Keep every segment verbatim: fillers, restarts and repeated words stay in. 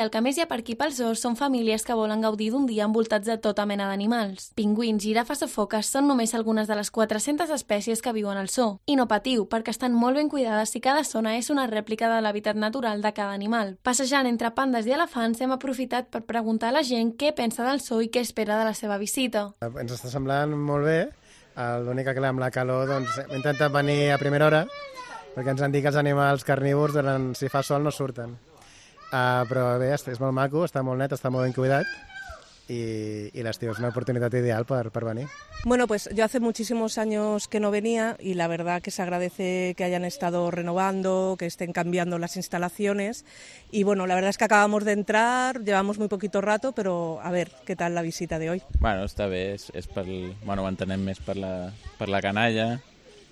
El que més hi ha per aquí pels zoos són famílies que volen gaudir d'un dia envoltats de tota mena d'animals. Pingüins, girafes o foques són només algunes de les quatre-centes espècies que viuen al zoo. I no patiu, perquè estan molt ben cuidades i cada zona és una rèplica de l'hàbitat natural de cada animal. Passejant entre pandes i elefants hem aprofitat per preguntar a la gent què pensa del zoo i què espera de la seva visita. Ens està semblant molt bé. L'únic que amb la calor doncs, hem intentat venir a primera hora perquè ens han dit que els animals carnívors durant, si fa sol no surten. Uh, però bé, és molt maco, està molt net, està molt ben cuidat y, y l'estiu es una oportunidad ideal para, para venir. Bueno, pues yo hace muchísimos años que no venía y la verdad que se agradece que hayan estado renovando, que estén cambiando las instalaciones y bueno, la verdad es que acabamos de entrar, llevamos muy poquito rato, pero a ver qué tal la visita de hoy. Bueno, està bé, és, és per, bueno, ho entenem més per la, per la canalla,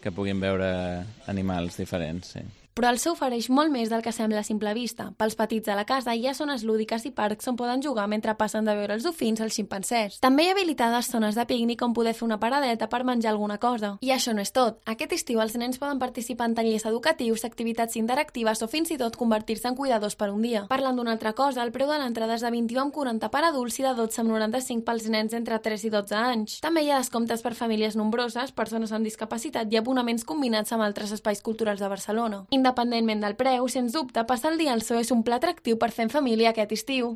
que puguin veure animals diferents, sí. Però el zoo ofereix molt més del que sembla a simple vista. Pels petits de la casa hi ha zones lúdiques i parcs on poden jugar mentre passen de veure els dofins als ximpancers. També hi ha habilitades zones de pícnic on poder fer una paradeta per menjar alguna cosa. I això no és tot. Aquest estiu els nens poden participar en tallers educatius, activitats interactives o fins i tot convertir-se en cuidadors per un dia. Parlant d'una altra cosa, el preu de l'entrada és de vint-i-u coma quaranta per adults i de dotze coma noranta-cinc pels nens entre tres i dotze anys. També hi ha descomptes per famílies nombroses, persones amb discapacitat i abonaments combinats amb altres espais culturals de Barcelona. Independentment del preu, sens dubte, passar el dia al zoo és un pla atractiu per fer en família aquest estiu.